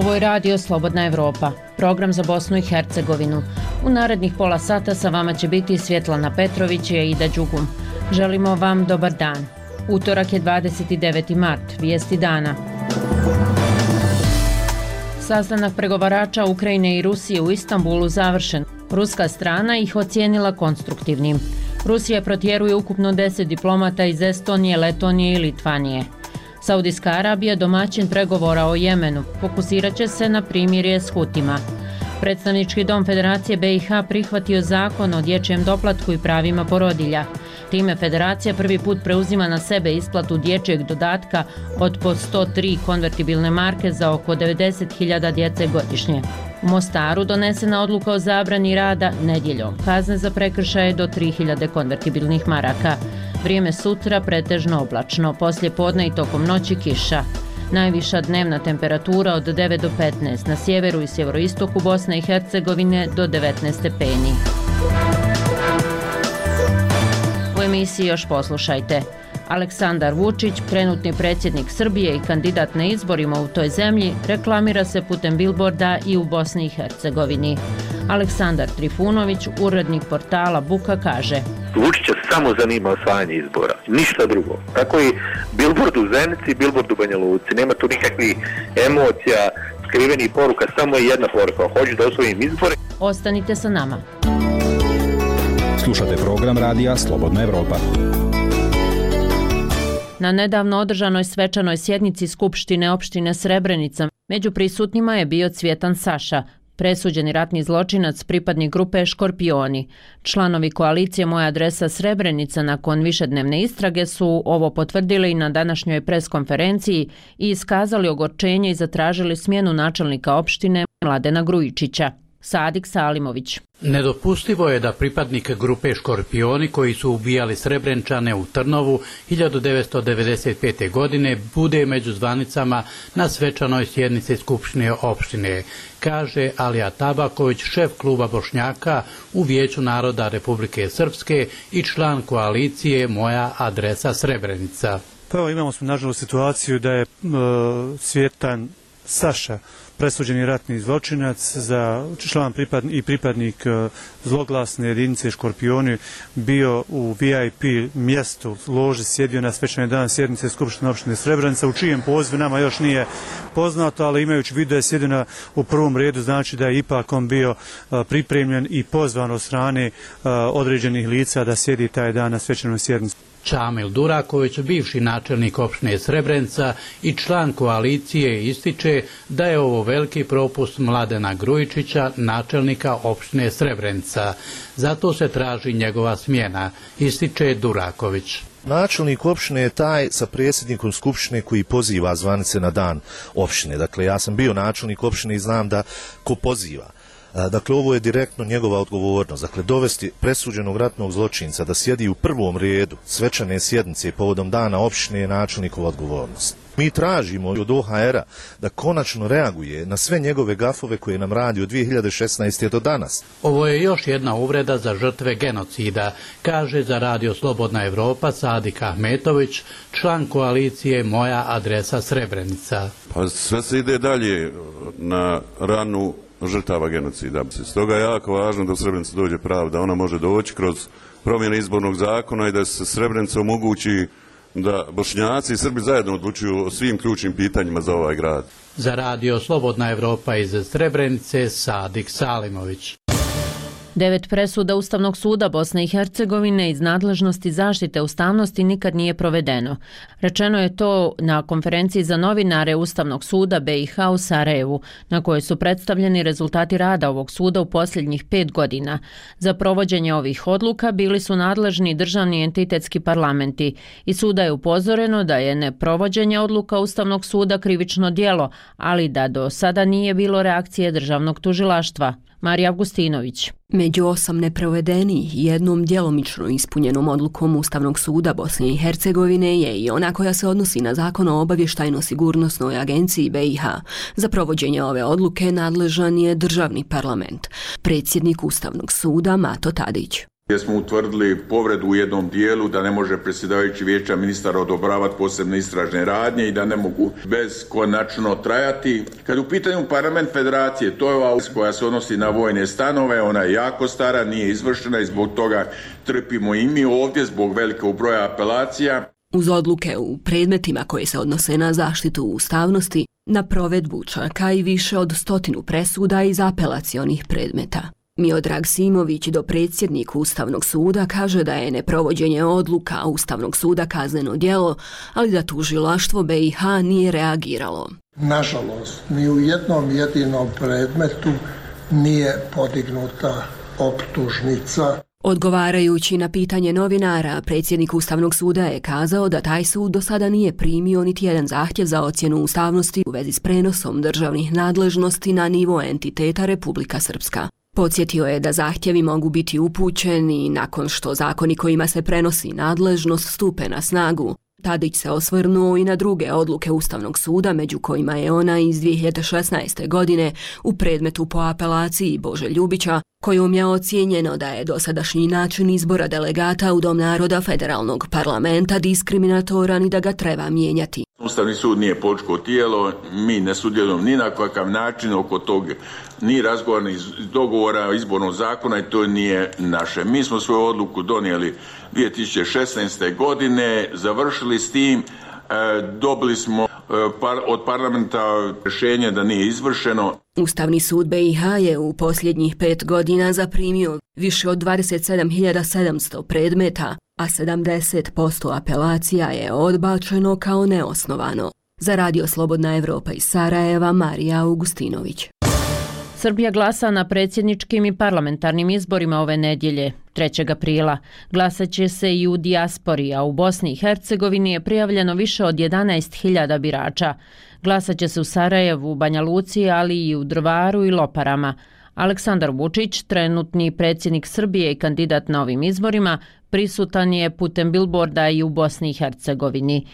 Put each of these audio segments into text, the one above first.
Ovo je Radio Slobodna Evropa, program za Bosnu i Hercegovinu. U narednih pola sata sa vama će biti Svjetlana Petrović i Aida Đugum. Želimo vam dobar dan. Utorak je 29. mart, vijesti dana. Sastanak pregovarača Ukrajine i Rusije u Istanbulu završen. Ruska strana ih ocijenila konstruktivnim. Rusija protjeruje ukupno 10 diplomata iz Estonije, Letonije i Litvanije. Saudijska Arabija, domaćin pregovora o Jemenu, fokusirat će se na primirje s Hutima. Predstavnički dom Federacije BiH prihvatio zakon o dječjem doplatku i pravima porodilja. Time Federacija prvi put preuzima na sebe isplatu dječjeg dodatka od po 103 konvertibilne marke za oko 90.000 djece godišnje. U Mostaru donesena odluka o zabrani rada nedjeljom. Kazne za prekršaje do 3.000 konvertibilnih maraka. Vrijeme sutra pretežno oblačno, poslije podne i tokom noći kiša. Najviša dnevna temperatura od 9 do 15, na sjeveru i sjeveroistoku Bosne i Hercegovine do 19 stepeni. U emisiji još poslušajte. Aleksandar Vučić, trenutni predsjednik Srbije i kandidat na izborima u toj zemlji, reklamira se putem bilborda i u Bosni i Hercegovini. Aleksandar Trifunović, urednik portala Buka, kaže: Vučića samo zanima osvajanje izbora, ništa drugo. Tako i bilbord u Zenici i bilbord u Banja Luci. Nema tu nikakvih emocija, skrivenih poruka, samo je jedna poruka: hoću da osvojim izbore. Ostanite sa nama. Slušate program radija Slobodna Evropa. Na nedavno održanoj svečanoj sjednici Skupštine opštine Srebrenica među prisutnima je bio Cvjetan Saša, presuđeni ratni zločinac, pripadnik grupe Škorpioni. Članovi koalicije Moja adresa Srebrenica nakon višednevne istrage su ovo potvrdili i na današnjoj preskonferenciji i iskazali ogorčenje i zatražili smjenu načelnika opštine Mladena Grujičića. Sadik Salimović. Nedopustivo je da pripadnik grupe Škorpioni koji su ubijali Srebrenčane u Trnovu 1995. godine bude među zvanicama na svečanoj sjednici Skupštine opštine, kaže Alija Tabaković, šef kluba Bošnjaka u Vijeću naroda Republike Srpske i član koalicije Moja adresa Srebrenica. Pa evo, imamo smo nažalost situaciju da je Cvjetan Saša, presuđeni ratni zločinac, za član i pripadnik zloglasne jedinice Škorpioni, bio u VIP mjestu, loži, sjedio na svečani dan sjednice Skupštine opštine Srebrenica, u čijem pozivu nama još nije poznato, ali imajući vidu da je sjedio u prvom redu, znači da je ipak on bio pripremljen i pozvan od strane određenih lica da sjedi taj dan na svečanoj sjednici. Čamil Duraković, bivši načelnik opštine Srebrenica i član koalicije, ističe da je ovo veliki propust Mladena Grujičića, načelnika opštine Srebrenica. Zato se traži njegova smjena, ističe Duraković. Načelnik opštine je taj sa predsjednikom skupštine koji poziva zvanice na dan opštine. Dakle, ja sam bio načelnik opštine i znam da ko poziva. Dakle, ovo je direktno njegova odgovornost. Dakle, dovesti presuđenog ratnog zločinca da sjedi u prvom redu svečane sjednice povodom dana opštine je načelnikova odgovornost. Mi tražimo od OHR-a da konačno reaguje na sve njegove gafove koje nam radi od 2016. do danas. Ovo je još jedna uvreda za žrtve genocida, kaže za Radio Slobodna Evropa Sadik Ahmetović, član koalicije Moja adresa Srebrenica. Pa sve se ide dalje na ranu žrtava genocida. Stoga je jako važno da u Srebrenicu dođe pravda. Ona može doći kroz promjene izbornog zakona i da se Srebrenicu omogući da Bošnjaci i Srbi zajedno odlučuju o svim ključnim pitanjima za ovaj grad. Za Radio Slobodna Evropa iz Srebrenice, Sadik Salimović. 9 presuda Ustavnog suda Bosne i Hercegovine iz nadležnosti zaštite ustavnosti nikad nije provedeno. Rečeno je to na konferenciji za novinare Ustavnog suda BiH u Sarajevu, na kojoj su predstavljeni rezultati rada ovog suda u posljednjih 5 godina. Za provođenje ovih odluka bili su nadležni državni entitetski parlamenti i suda je upozoreno da je neprovođenje odluka Ustavnog suda krivično djelo, ali da do sada nije bilo reakcije državnog tužilaštva. Marija Avgustinović. Među 8 neprovedenih i jednom djelomično ispunjenom odlukom Ustavnog suda Bosne i Hercegovine je i ona koja se odnosi na Zakon o obavještajno-sigurnosnoj agenciji BiH. Za provođenje ove odluke nadležan je državni parlament. Predsjednik Ustavnog suda Mato Tadić. gdje smo utvrdili povredu u jednom dijelu da ne može predsjedavajući vijeća ministara odobravati posebne istražne radnje i da ne mogu beskonačno trajati. Kad u pitanju parlament federacije, to je ova koja se odnosi na vojne stanove, ona je jako stara, nije izvršena i zbog toga trpimo i mi ovdje zbog velikog broja apelacija. Uz odluke u predmetima koje se odnose na zaštitu ustavnosti, na provedbu čaka i više od 100 presuda iz apelacionih predmeta. Miodrag Simović, dopredsjednik Ustavnog suda, kaže da je neprovođenje odluka Ustavnog suda kazneno djelo, ali da tužilaštvo BiH nije reagiralo. Nažalost, ni u jednom jedinom predmetu nije podignuta optužnica. Odgovarajući na pitanje novinara, predsjednik Ustavnog suda je kazao da taj sud do sada nije primio niti jedan zahtjev za ocjenu ustavnosti u vezi s prenosom državnih nadležnosti na nivo entiteta Republika Srpska. Podsjetio je da zahtjevi mogu biti upućeni nakon što zakoni kojima se prenosi nadležnost stupe na snagu. Tadić se osvrnuo i na druge odluke Ustavnog suda, među kojima je ona iz 2016. godine u predmetu po apelaciji Bože Ljubića, kojom je ocijenjeno da je dosadašnji način izbora delegata u Dom naroda federalnog parlamenta diskriminatoran i da ga treba mijenjati. Ustavni sud nije političko tijelo, mi ne sudjelujemo ni na kakav način oko tog ni razgovora, ni dogovora izbornog zakona i to nije naše. Mi smo svoju odluku donijeli 2016. godine, završili s tim, dobili smo od parlamenta rješenje da nije izvršeno. Ustavni sud BiH je u posljednjih 5 godina zaprimio više od 27.700 predmeta, a 70% apelacija je odbačeno kao neosnovano. Za Radio Slobodna Evropa iz Sarajeva, Marija Augustinović. Srbija glasa na predsjedničkim i parlamentarnim izborima ove nedjelje, 3. aprila. Glasat će se i u dijaspori, a u Bosni i Hercegovini je prijavljeno više od 11.000 birača. Glasat će se u Sarajevu, Banja Luci, ali i u Drvaru i Loparama. Aleksandar Vučić, trenutni predsjednik Srbije i kandidat na ovim izborima, prisutan je putem bilborda i u Bosni i Hercegovini.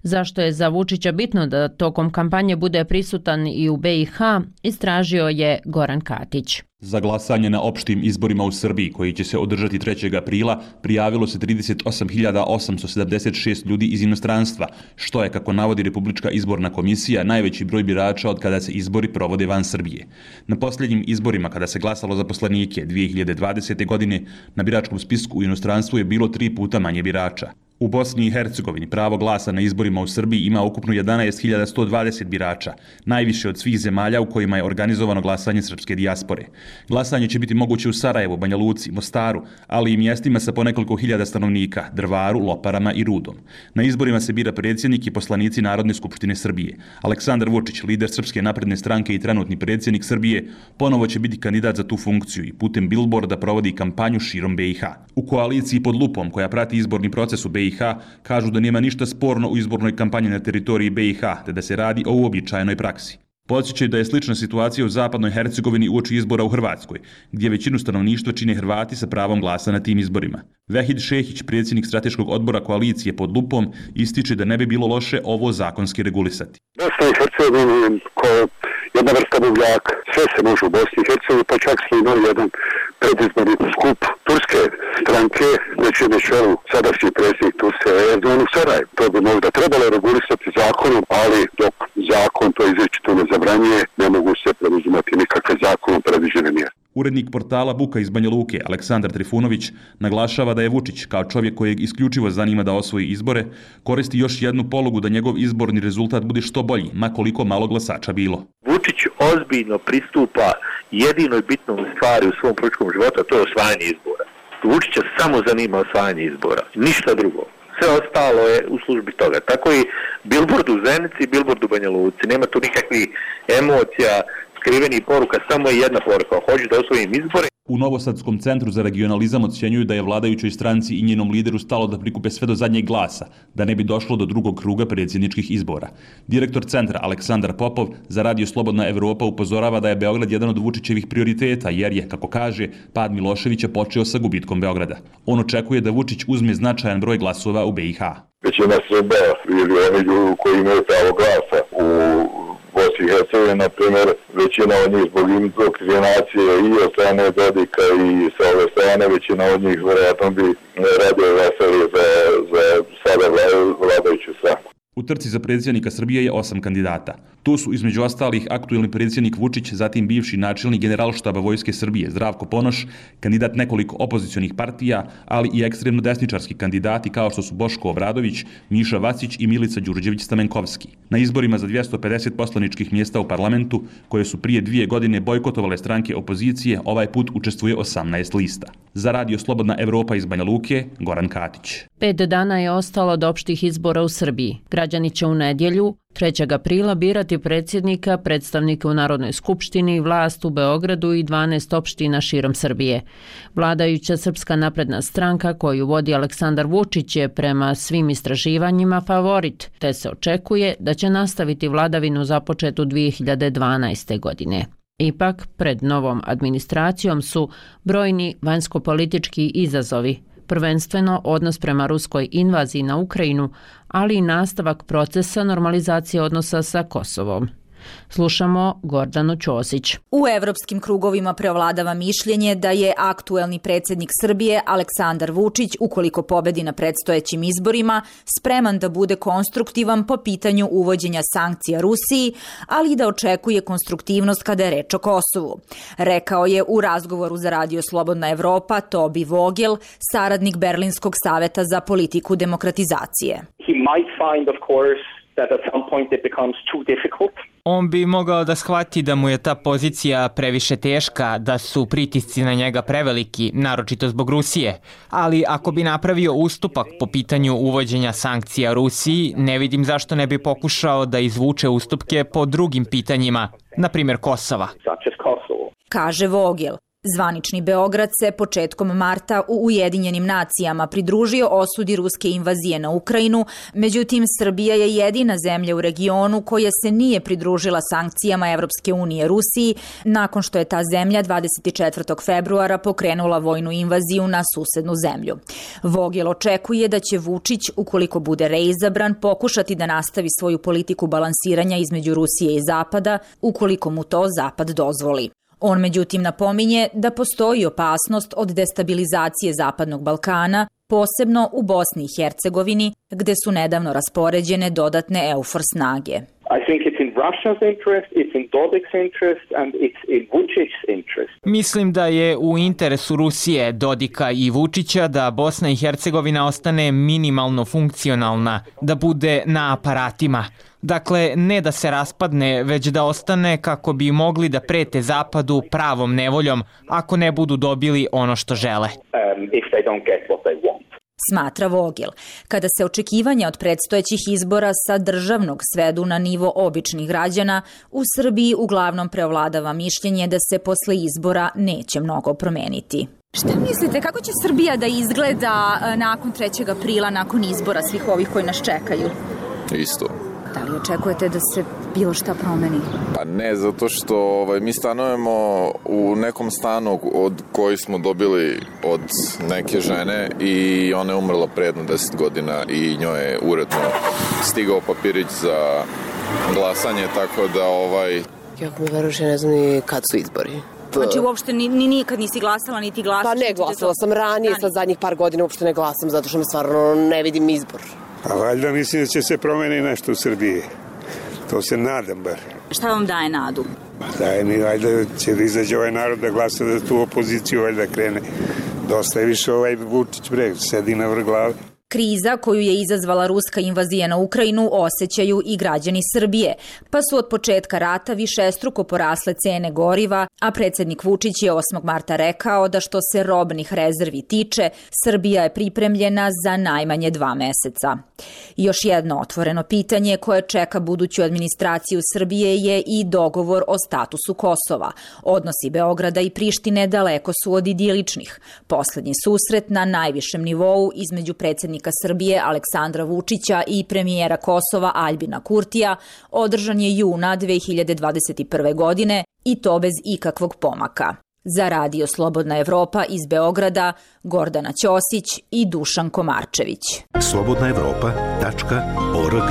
Zašto je za Vučića bitno da tokom kampanje bude prisutan i u BiH, istražio je Goran Katić. Za glasanje na opštim izborima u Srbiji, koji će se održati 3. aprila, prijavilo se 38.876 ljudi iz inostranstva, što je, kako navodi Republička izborna komisija, najveći broj birača od kada se izbori provode van Srbije. Na posljednjim izborima, kada se glasalo za poslanike 2020. godine, na biračkom spisku u inostranstvu je bilo 3 puta manje birača. U Bosni i Hercegovini pravo glasa na izborima u Srbiji ima ukupno 11.120 birača, najviše od svih zemalja u kojima je organizovano glasanje srpske dijaspore. Glasanje će biti moguće u Sarajevu, Banja Luci, Mostaru, ali i mjestima sa po nekoliko hiljada stanovnika, Drvaru, Loparama i Rudom. Na izborima se bira predsjednik i poslanici Narodne skupštine Srbije. Aleksandar Vučić, lider Srpske napredne stranke i trenutni predsjednik Srbije, ponovo će biti kandidat za tu funkciju i putem bilborda provodi kampanju širom BiH. U koaliciji pod lupom, koja prati izborni proces u BiH, kažu da nema ništa sporno u izbornoj kampanji na teritoriji BiH, te da se radi o uobičajenoj praksi. Podsjećaju da je slična situacija u zapadnoj Hercegovini uoči izbora u Hrvatskoj, gdje većinu stanovništva čine Hrvati sa pravom glasa na tim izborima. Vehid Šehić, predsjednik strateškog odbora koalicije pod lupom, ističe da ne bi bilo loše ovo zakonski regulisati. Bosna i Hercegovina kao jedna vrsta buvljaka, sve se može u Bosni i Hercegovini, pa čak smo imali jedan predizborni skup turske stranke, znači na čelu sadašnji predsjednik Turske Erdogan u Sarajevu. To bi možda trebalo regulisati zakonom, ali dok zakon to izričito ne zabranjuje, ne mogu se preuzimati nikakve zakonom predviđene mjere. Urednik portala Buka iz Banja Luke, Aleksandar Trifunović, naglašava da je Vučić, kao čovjek kojeg isključivo zanima da osvoji izbore, koristi još jednu polugu da njegov izborni rezultat bude što bolji, ma koliko malo glasača bilo. Vučić ozbiljno pristupa jedinoj bitnoj stvari u svom političkom životu, a to je osvajanje izbora. Vučića samo zanima osvajanje izbora, ništa drugo. Sve ostalo je u službi toga. Tako i bilbord u Zenici i bilbord u Banja Luci. Nema tu nikakvih emocija, skrivenih poruka, samo je jedna poruka. Hoću da osvojim izbore. U Novosadskom centru za regionalizam ocjenjuju da je vladajućoj stranci i njenom lideru stalo da prikupe sve do zadnjeg glasa, da ne bi došlo do drugog kruga predsjedničkih izbora. Direktor centra Aleksandar Popov za Radio Slobodna Evropa upozorava da je Beograd jedan od Vučićevih prioriteta, jer je, kako kaže, pad Miloševića počeo sa gubitkom Beograda. On očekuje da Vučić uzme značajan broj glasova u BiH. Većina Srba ili oni ljudi koji imaju pravo glasa u Bosni i Hercegovini, na primjer, većina od njih zbog indoktrinacije i od strane Dodika i sa ove strane one, većina od njih vjerojatno bi radije glasali za sada vladajuću stranku. U trci za predsjednika Srbije je 8 kandidata. Tu su između ostalih aktuelni predsjednik Vučić, zatim bivši načelnik Generalštaba Vojske Srbije Zdravko Ponoš, kandidat nekoliko opozicionih partija, ali i ekstremno desničarski kandidati kao što su Boško Obradović, Miša Vacić i Milica Đurđević-Stamenkovski. Na izborima za 250 poslaničkih mjesta u parlamentu, koje su prije 2 godine bojkotovale stranke opozicije, ovaj put učestvuje 18 lista. Za Radio Slobodna Evropa iz Banja Luke, Goran Katić. 5 dana je ostalo od opštih izbora u Srbiji. Građani će u nedjelju, 3. aprila, birati predsjednika, predstavnike u Narodnoj skupštini, vlast u Beogradu i 12 opština širom Srbije. Vladajuća Srpska napredna stranka koju vodi Aleksandar Vučić je prema svim istraživanjima favorit, te se očekuje da će nastaviti vladavinu započetu 2012. godine. Ipak, pred novom administracijom su brojni vanjskopolitički izazovi, prvenstveno odnos prema ruskoj invaziji na Ukrajinu, ali i nastavak procesa normalizacije odnosa sa Kosovom. Slušamo Gordanu Ćosić. U evropskim krugovima preovladava mišljenje da je aktuelni predsjednik Srbije Aleksandar Vučić, ukoliko pobedi na predstojećim izborima, spreman da bude konstruktivan po pitanju uvođenja sankcija Rusiji, ali i da očekuje konstruktivnost kada je reč o Kosovu. Rekao je u razgovoru za Radio Slobodna Evropa Tobi Vogel, saradnik Berlinskog saveta za politiku demokratizacije. He might find, of course, that at some point it becomes too difficult. On bi mogao da shvati da mu je ta pozicija previše teška, da su pritisci na njega preveliki, naročito zbog Rusije. Ali ako bi napravio ustupak po pitanju uvođenja sankcija Rusiji, ne vidim zašto ne bi pokušao da izvuče ustupke po drugim pitanjima, na primjer Kosova. Kaže Vogel. Zvanični Beograd se početkom marta u Ujedinjenim nacijama pridružio osudi ruske invazije na Ukrajinu, međutim Srbija je jedina zemlja u regionu koja se nije pridružila sankcijama Evropske unije Rusiji nakon što je ta zemlja 24. februara pokrenula vojnu invaziju na susednu zemlju. Vogel očekuje da će Vučić, ukoliko bude reizabran, pokušati da nastavi svoju politiku balansiranja između Rusije i Zapada, ukoliko mu to Zapad dozvoli. On međutim napominje da postoji opasnost od destabilizacije Zapadnog Balkana, posebno u Bosni i Hercegovini, gde su nedavno raspoređene dodatne EUFOR snage. I think it's in Russia's interest, it's in Dodik's interest and it's in Vučić's interest. Mislim da je u interesu Rusije, Dodika i Vučića da Bosna i Hercegovina ostane minimalno funkcionalna, da bude na aparatima. Dakle, ne da se raspadne, već da ostane kako bi mogli da prete Zapadu pravom nevoljom ako ne budu dobili ono što žele. If they don't get what they want. Smatra Vogel. Kada se očekivanja od predstojećih izbora sa državnog svedu na nivo običnih građana, u Srbiji uglavnom preovladava mišljenje da se posle izbora neće mnogo promeniti. Šta mislite, kako će Srbija da izgleda nakon 3. aprila, nakon izbora svih ovih koji nas čekaju? Isto. Da li očekujete da se bilo šta promeni? Pa ne, zato što mi stanujemo u nekom stanu od koji smo dobili od neke žene i ona je umrla pre jedno 10 godina i njoj je uredno stigao papirić za glasanje, tako da Jako mi veruš, ja ne znam ni kad su izbori. Znači uopšte nikad nisi glasala, niti glasaš? Pa ne, glasala sam ranije, sad zadnjih par godina uopšte ne glasam, zato što me stvarno ne vidim izbor. A valjda mislim da će se promeni nešto u Srbiji. To se nadam bar. Šta vam daje nadu? Daje mi, valjda će da izađe ovaj narod da glasa za tu opoziciju, valjda krene. Dosta je više Vučić breg, sedi na vrh glave. Kriza koju je izazvala ruska invazija na Ukrajinu osjećaju i građani Srbije, pa su od početka rata višestruko porasle cene goriva, a predsjednik Vučić je 8. marta rekao da što se robnih rezervi tiče, Srbija je pripremljena za najmanje 2 meseca. Još jedno otvoreno pitanje koje čeka buduću administraciju Srbije je i dogovor o statusu Kosova. Odnosi Beograda i Prištine daleko su od idiličnih. Poslednji susret na najvišem nivou između predsjednika Srbije Aleksandra Vučića i premijera Kosova Aljbina Kurtija održan je juna 2021. godine i to bez ikakvog pomaka. Za Radio Slobodna Evropa iz Beograda, Gordana Ćosić i Dušan Komarčević. slobodnaevropa.org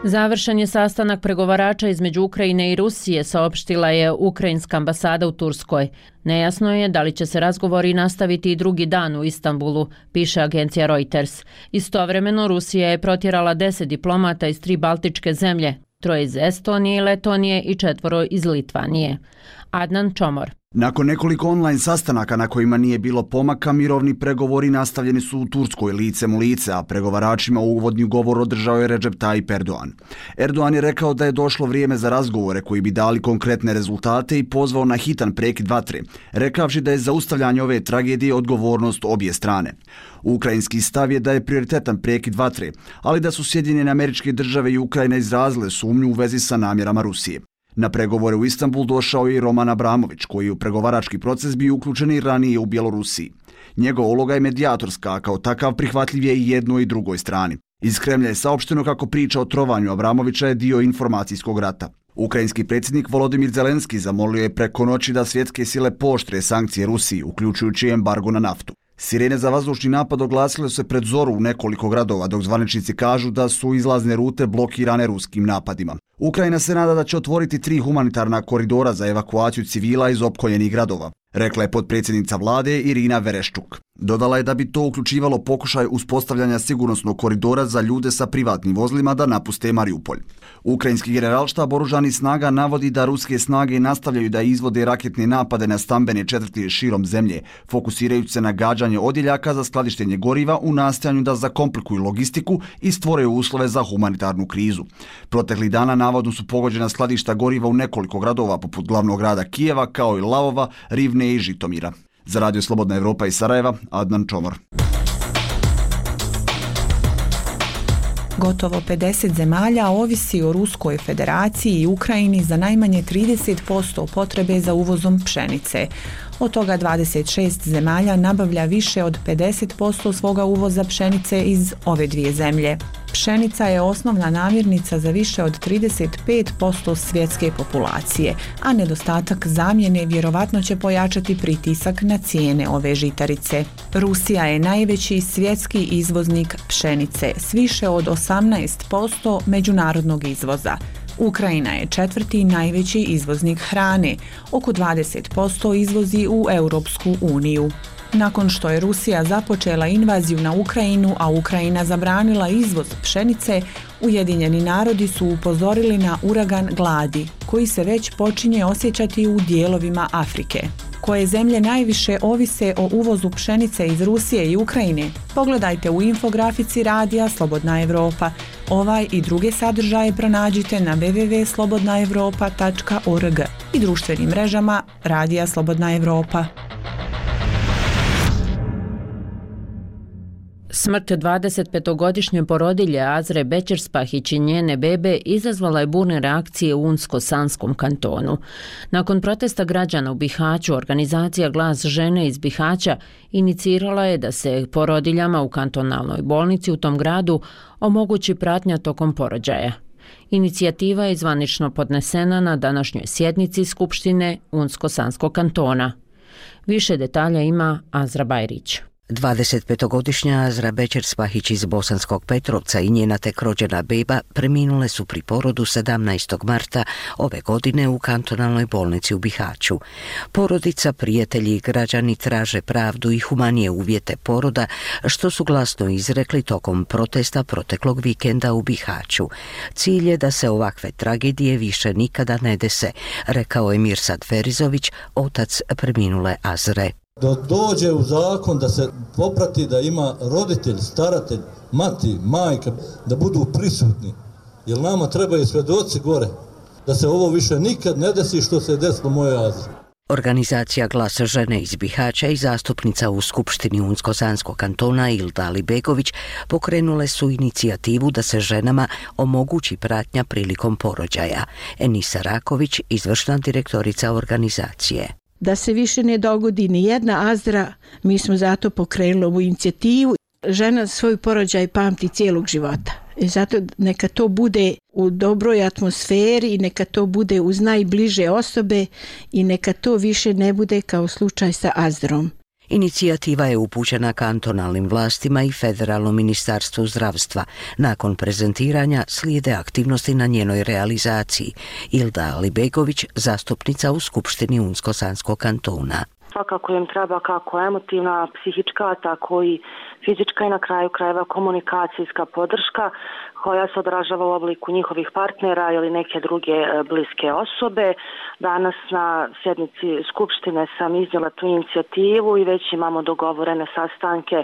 Završen je sastanak pregovarača između Ukrajine i Rusije, saopštila je ukrajinska ambasada u Turskoj. Nejasno je da li će se razgovori nastaviti i drugi dan u Istanbulu, piše agencija Reuters. Istovremeno Rusija je protjerala 10 diplomata iz 3 baltičke zemlje, 3 iz Estonije i Letonije i 4 iz Litvanije. Adnan Čomor. Nakon nekoliko online sastanaka na kojima nije bilo pomaka, mirovni pregovori nastavljeni su u Turskoj licem u lice, a pregovaračima uvodni govor održao je Recep Tayyip Erdogan. Erdogan je rekao da je došlo vrijeme za razgovore koji bi dali konkretne rezultate i pozvao na hitan prekid vatre, rekavši da je zaustavljanje ove tragedije odgovornost obje strane. Ukrajinski stav je da je prioritetan prekid vatre, ali da su Sjedinjene Američke Države i Ukrajina izrazile sumnju u vezi sa namjerama Rusije. Na pregovore u Istanbul došao je i Roman Abramović, koji je u pregovarački proces bio uključen i ranije u Bjelorusiji. Njegova uloga je medijatorska, a kao takav prihvatljiv je i jednoj i drugoj strani. Iz Kremlja je saopšteno kako priča o trovanju Abramovića je dio informacijskog rata. Ukrajinski predsjednik Volodimir Zelenski zamolio je preko noći da svjetske sile pooštre sankcije Rusiji, uključujući embargo na naftu. Sirene za vazdušni napad oglasile se pred zoru u nekoliko gradova, dok zvaničnici kažu da su izlazne rute blokirane ruskim napadima. Ukrajina se nada da će otvoriti 3 humanitarna koridora za evakuaciju civila iz opkoljenih gradova, rekla je potpredsjednica vlade Irina Vereščuk. Dodala je da bi to uključivalo pokušaj uspostavljanja sigurnosnog koridora za ljude sa privatnim vozilima da napuste Mariupolj. Ukrajinski generalštab oružanih snaga navodi da ruske snage nastavljaju da izvode raketne napade na stambene četvrti širom zemlje, fokusirajući se na gađanje odjeljaka za skladištenje goriva u nastojanju da zakomplikuju logistiku i stvore uslove za humanitarnu krizu. Proteklih dana navodno su pogođena skladišta goriva u nekoliko gradova poput glavnog grada Kijeva kao i Lavova, Rivne i Žitomira. Za Radio Slobodna Evropa iz Sarajeva, Adnan Čomor. Gotovo 50 zemalja ovisi o Ruskoj federaciji i Ukrajini za najmanje 30% potrebe za uvozom pšenice. Od toga 26 zemalja nabavlja više od 50% svoga uvoza pšenice iz ove dvije zemlje. Pšenica je osnovna namirnica za više od 35% svjetske populacije, a nedostatak zamjene vjerovatno će pojačati pritisak na cijene ove žitarice. Rusija je najveći svjetski izvoznik pšenice s više od 18% međunarodnog izvoza. Ukrajina je 4. najveći izvoznik hrane, oko 20% izvozi u Europsku uniju. Nakon što je Rusija započela invaziju na Ukrajinu, a Ukrajina zabranila izvoz pšenice, Ujedinjeni narodi su upozorili na uragan gladi, koji se već počinje osjećati u dijelovima Afrike. Koje zemlje najviše ovise o uvozu pšenice iz Rusije i Ukrajine? Pogledajte u infografici Radija Slobodna Evropa. Ovaj i druge sadržaje pronađite na www.slobodnaevropa.org i društvenim mrežama Radija Slobodna Evropa. Smrt 25-godišnje porodilje Azre Bećerspahić i njene bebe izazvala je burne reakcije u Unsko-Sanskom kantonu. Nakon protesta građana u Bihaću, organizacija Glas žene iz Bihaća inicirala je da se porodiljama u kantonalnoj bolnici u tom gradu omogući pratnja tokom porođaja. Inicijativa je zvanično podnesena na današnjoj sjednici Skupštine Unsko-Sanskog kantona. Više detalja ima Azra Bajrić. 25-godišnja Azra Bećerspahić iz Bosanskog Petrovca i njena tek rođena beba preminule su pri porodu 17. marta ove godine u kantonalnoj bolnici u Bihaću. Porodica, prijatelji i građani traže pravdu i humanije uvjete poroda, što su glasno izrekli tokom protesta proteklog vikenda u Bihaću. Cilj je da se ovakve tragedije više nikada ne dese, rekao je Mirsad Ferizović, otac preminule Azre. Da dođe u zakon da se poprati da ima roditelj, staratelj, mati, majka, da budu prisutni. Jer nama trebaju svjedoci gore, da se ovo više nikad ne desi što se desilo moje Azre. Organizacija Glas žene iz Bihaća i zastupnica u Skupštini Unsko-Sanskog kantona Ilda Alibegović pokrenule su inicijativu da se ženama omogući pratnja prilikom porođaja. Enisa Raković, izvršna direktorica organizacije. Da se više ne dogodi ni jedna Azra, mi smo zato pokrenuli ovu inicijativu. Žena svoj porođaj pamti cijelog života. I zato neka to bude u dobroj atmosferi i neka to bude uz najbliže osobe i neka to više ne bude kao slučaj sa Azrom. Inicijativa je upućena kantonalnim vlastima i Federalnom ministarstvu zdravstva. Nakon prezentiranja slijede aktivnosti na njenoj realizaciji. Ilda Alibegović, zastupnica u Skupštini Unsko-Sanskog kantona. Svakako im treba kako emotivna, psihička, tako i fizička i na kraju krajeva komunikacijska podrška koja se odražava u obliku njihovih partnera ili neke druge bliske osobe. Danas na sjednici Skupštine sam iznijela tu inicijativu i već imamo dogovorene sastanke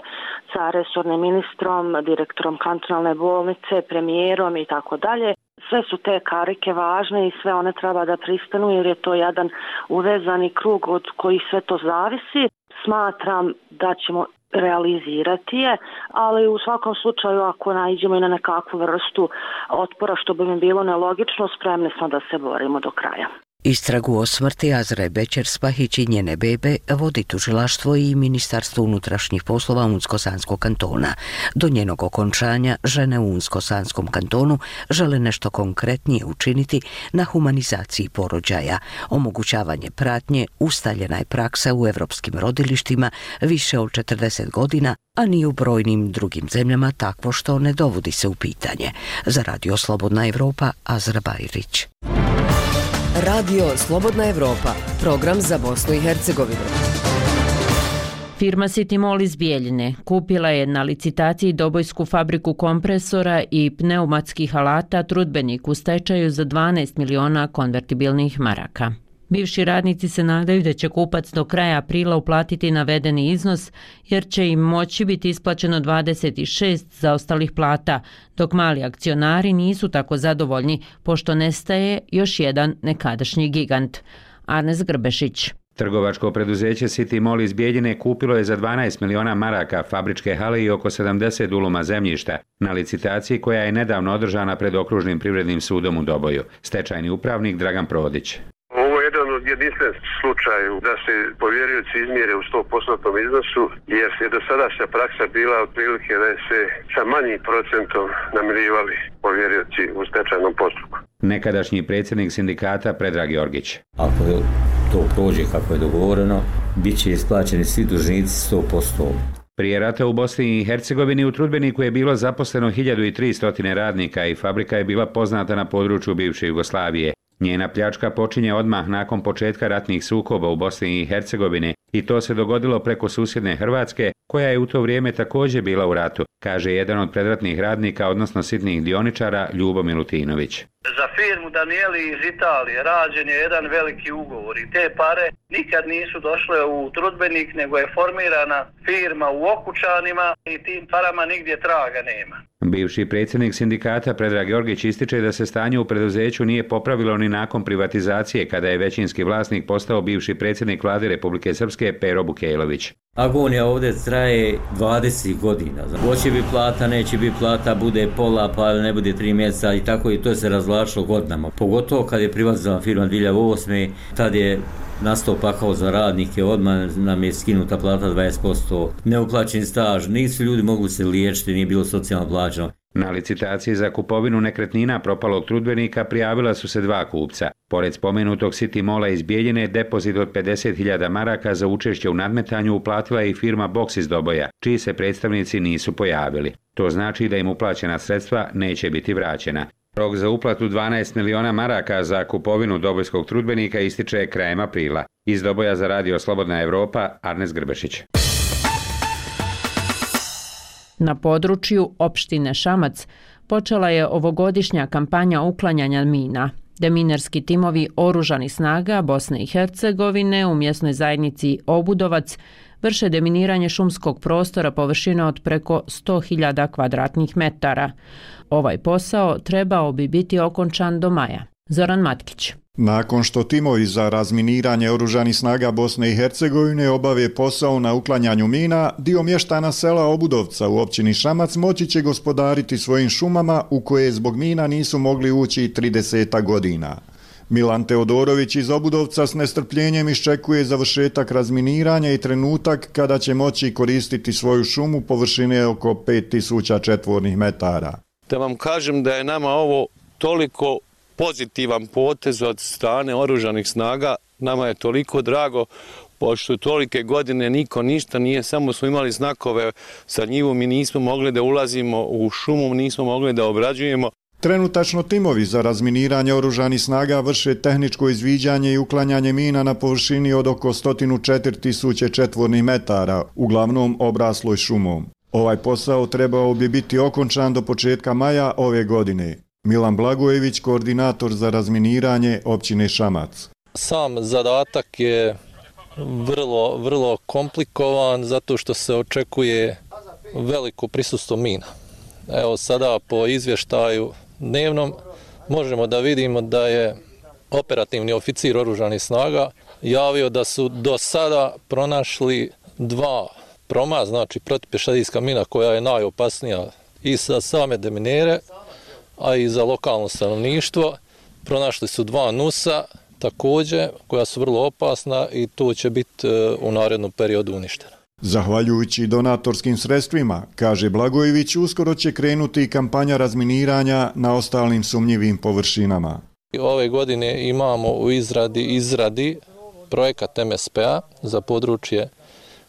sa resornim ministrom, direktorom kantonalne bolnice, premijerom i tako dalje. Sve su te karike važne i sve one treba da pristanu jer je to jedan uvezani krug od koji sve to zavisi. Smatram da ćemo realizirati je, ali u svakom slučaju ako naiđemo i na nekakvu vrstu otpora što bi mi bilo nelogično, spremni smo da se borimo do kraja. Istragu o smrti Azre Bećer-Spahić i njene bebe vodi tužilaštvo i Ministarstvo unutrašnjih poslova Unsko-Sanskog kantona. Do njenog okončanja žene u Unsko-Sanskom kantonu žele nešto konkretnije učiniti na humanizaciji porođaja. Omogućavanje pratnje ustaljena je praksa u evropskim rodilištima više od 40 godina, a ni u brojnim drugim zemljama takvo što ne dovodi se u pitanje. Za Radio Slobodna Evropa, Azra Bajrić. Radio Slobodna Evropa, program za Bosnu i Hercegovinu. Firma City Mall iz Bijeljine kupila je na licitaciji dobojsku fabriku kompresora i pneumatskih alata Trudbenik u stečaju za 12 miliona konvertibilnih maraka. Bivši radnici se nadaju da će kupac do kraja aprila uplatiti navedeni iznos, jer će im moći biti isplaćeno 26 zaostalih plata, dok mali akcionari nisu tako zadovoljni, pošto nestaje još jedan nekadašnji gigant. Arnes Grbešić. Trgovačko preduzeće City Mall iz Bijeljine kupilo je za 12 miliona maraka fabričke hale i oko 70 duluma zemljišta na licitaciji koja je nedavno održana pred Okružnim privrednim sudom u Doboju. Stečajni upravnik Dragan Prodić. Ovo je jedan od jedinstven slučaj da se povjerioci izmjere u 100% iznosu, jer je do sadašnja praksa bila otprilike da se sa manjim procentom namirivali povjerioci u stečajnom postupku. Nekadašnji predsjednik sindikata Predrag Jorgić. Ako to prođe kako je dogovoreno, bit će isplaćeni svi dužnici 100%. Prije rata u Bosni i Hercegovini u Trudbeniku je bilo zaposleno 1300 radnika i fabrika je bila poznata na području bivše Jugoslavije. Njena pljačka počinje odmah nakon početka ratnih sukoba u Bosni i Hercegovini i to se dogodilo preko susjedne Hrvatske, koja je u to vrijeme također bila u ratu, kaže jedan od predratnih radnika, odnosno sitnih dioničara, Ljubo Milutinović. Za firmu Danieli iz Italije rađen je jedan veliki ugovor i te pare nikad nisu došle u Trudbenik, nego je formirana firma u Okučanima i tim parama nigdje traga nema. Bivši predsjednik sindikata Predrag Jorgić ističe da se stanje u preduzeću nije popravilo ni nakon privatizacije, kada je većinski vlasnik postao bivši predsjednik vlade Republike Srpske Pero Bukejlović. Agonija ovdje traje 20 godina. Hoće biti plata, neće biti plata, bude pola, pa ne bude 3 mjeseca i tako i to se razvlačilo godinama. Pogotovo kad je privatizovana firma 2008. Tad je nastao pakao za radnike, odmah nam je skinuta plata 20%, neuplaćen staž, nisu ljudi mogli se liječiti, nije bilo socijalno plaćeno. Na licitaciji za kupovinu nekretnina propalog Trudbenika prijavila su se 2 kupca. Pored spomenutog City Malla iz Bijeljine, depozit od 50.000 maraka za učešće u nadmetanju uplatila je i firma Box iz Doboja, čiji se predstavnici nisu pojavili. To znači da im uplaćena sredstva neće biti vraćena. Rok za uplatu 12 miliona maraka za kupovinu dobojskog Trudbenika ističe krajem aprila. Iz Doboja za Radio Slobodna Evropa, Arnes Grbešić. Na području opštine Šamac počela je ovogodišnja kampanja uklanjanja mina. Deminerski timovi oružanih snaga Bosne i Hercegovine u mjesnoj zajednici Obudovac vrše deminiranje šumskog prostora površine od preko 100.000 kvadratnih metara. Ovaj posao trebao bi biti okončan do maja. Zoran Matkić. Nakon što timovi za razminiranje oružanih snaga Bosne i Hercegovine obave posao na uklanjanju mina, dio mještana sela Obudovca u općini Šamac moći će gospodariti svojim šumama u koje zbog mina nisu mogli ući 30 godina. Milan Teodorović iz Obudovca s nestrpljenjem iščekuje završetak razminiranja i trenutak kada će moći koristiti svoju šumu površine oko 5000 četvornih metara. Da vam kažem da je nama ovo toliko pozitivan potez od strane oružanih snaga, nama je toliko drago, pošto tolike godine niko ništa nije, samo smo imali znakove sa njivom i nismo mogli da ulazimo u šumu, nismo mogli da obrađujemo. Trenutačno timovi za razminiranje oružanih snaga vrše tehničko izviđanje i uklanjanje mina na površini od oko 104.000 četvornih metara, uglavnom obrasloj šumom. Ovaj posao trebao bi biti okončan do početka maja ove godine. Milan Blagojević, koordinator za razminiranje općine Šamac. Sam zadatak je vrlo komplikovan zato što se očekuje veliko prisustvo mina. Evo sada po izvještaju dnevnom možemo da vidimo da je operativni oficir oružanih snaga javio da su do sada pronašli 2 proma, znači protupješadijska mina koja je najopasnija i za same deminere, a i za lokalno stanovništvo. Pronašli su 2 nusa također koja su vrlo opasna i to će biti u narednom periodu uništeno. Zahvaljujući donatorskim sredstvima, kaže Blagojević, uskoro će krenuti i kampanja razminiranja na ostalim sumnjivim površinama. Ove godine imamo u izradi projekat MSP-a za područje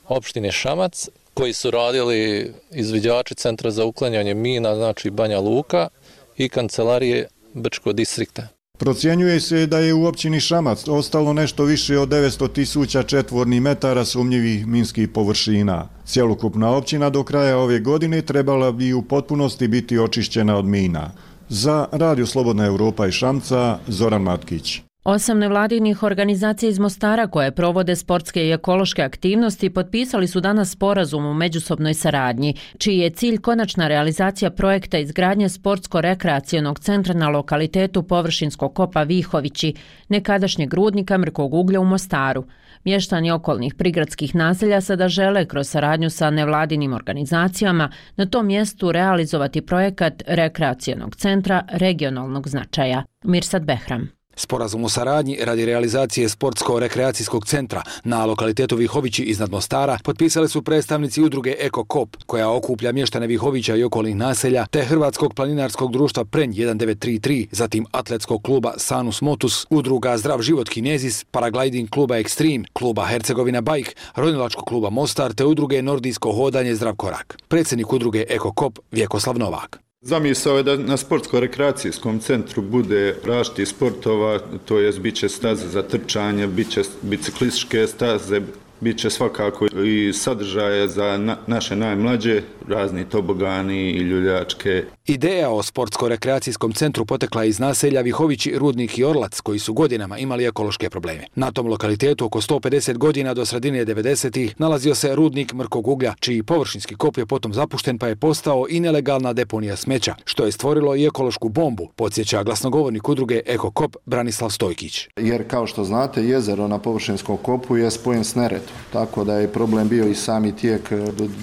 opštine Šamac, koji su radili izviđači Centra za uklanjanje mina, znači Banja Luka i kancelarije Brčkog distrikta. Procjenjuje se da je u općini Šamac ostalo nešto više od 900.000 četvornih metara sumnjivih minskih površina. Cjelokupna općina do kraja ove godine trebala bi u potpunosti biti očišćena od mina. Za Radio Slobodna Evropa iz Šamca, Zoran Matkić. 8 nevladinih organizacija iz Mostara koje provode sportske i ekološke aktivnosti potpisali su danas sporazum u međusobnoj saradnji, čiji je cilj konačna realizacija projekta izgradnje sportsko-rekreacionog centra na lokalitetu površinskog kopa Vihovići, nekadašnjeg rudnika mrkog uglja u Mostaru. Mještani okolnih prigradskih naselja sada žele kroz saradnju sa nevladinim organizacijama na tom mjestu realizovati projekat rekreacionog centra regionalnog značaja. Mirsad Behram. Sporazum o saradnji radi realizacije sportsko-rekreacijskog centra na lokalitetu Vihovići iznad Mostara potpisali su predstavnici udruge Eko-Kop, koja okuplja mještane Vihovića i okolnih naselja, te Hrvatskog planinarskog društva Prenj 1933, zatim atletskog kluba Sanus Motus, udruga Zdrav život Kinezis, paragliding kluba Extreme, kluba Hercegovina Bike, ronilačkog kluba Mostar te udruge Nordijsko hodanje Zdrav korak. Predsjednik udruge Eko-Kop Vjekoslav Novak. Zamisao je da na sportsko-rekreacijskom centru bude različitih sportova, to jest bit će staze za trčanje, bit će biciklističke staze, bit će svakako i sadržaje za naše najmlađe, razni tobogani i ljuljačke. Ideja o sportsko-rekreacijskom centru potekla iz naselja Vihovići, Rudnik i Orlac, koji su godinama imali ekološke probleme. Na tom lokalitetu oko 150 godina do sredine 90-ih nalazio se rudnik mrkog uglja, čiji površinski kop je potom zapušten pa je postao i nelegalna deponija smeća, što je stvorilo i ekološku bombu, podsjeća glasnogovornik udruge Eko-Kop Branislav Stojkić. Jer kao što znate, jezero na površinskom kopu je spojen s Neretvom, tako da je problem bio i sami tijek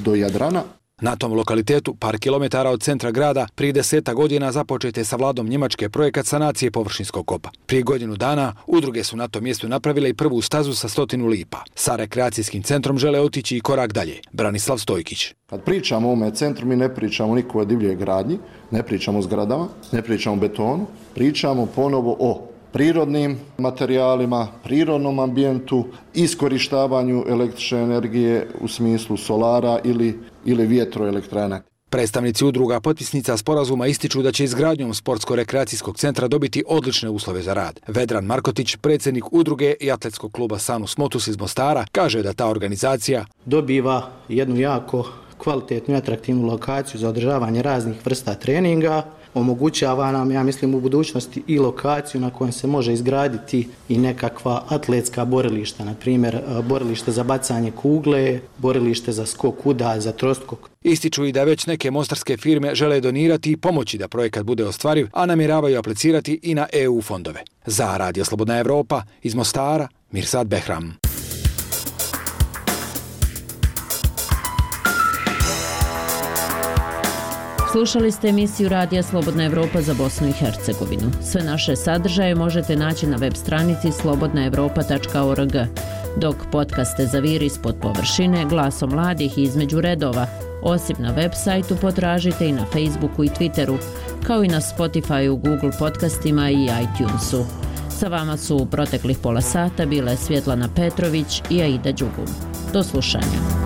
do Jadrana. Na tom lokalitetu, par kilometara od centra grada, prije 10 godina započet je sa vladom Njemačke projekat sanacije površinskog kopa. Prije godinu dana udruge su na tom mjestu napravile i prvu stazu sa 100 lipa. Sa rekreacijskim centrom žele otići i korak dalje. Branislav Stojkić. Kad pričamo o ovome centru, mi ne pričamo niko o divljoj gradnji, ne pričamo o zgradama, ne pričamo o betonu, pričamo ponovo o prirodnim materijalima, prirodnom ambijentu, iskorištavanju električne energije u smislu solara ili vjetroelektrana. Predstavnici udruga potpisnica sporazuma ističu da će izgradnjom sportsko-rekreacijskog centra dobiti odlične uslove za rad. Vedran Markotić, predsjednik udruge i atletskog kluba Sanus Motus iz Mostara, kaže da ta organizacija dobiva jednu jako kvalitetnu i atraktivnu lokaciju za održavanje raznih vrsta treninga, omogućava nam, ja mislim, u budućnosti i lokaciju na kojoj se može izgraditi i nekakva atletska borilišta, na primjer borilište za bacanje kugle, borilište za skok udalj, za troskok. Ističu i da već neke mostarske firme žele donirati i pomoći da projekat bude ostvariv, a namjeravaju aplicirati i na EU fondove. Za Radio Slobodna Evropa iz Mostara, Mirsad Behram. Slušali ste emisiju Radija Slobodna Evropa za Bosnu i Hercegovinu. Sve naše sadržaje možete naći na web stranici slobodnaevropa.org, dok podcaste Zaviri ispod površine, Glasom mladih i Između redova, osim na web sajtu potražite i na Facebooku i Twitteru, kao i na Spotifyu, Google podcastima i iTunesu. Sa vama su u proteklih pola sata bile Svjetlana Petrović i Aida Đugum. Do slušanja.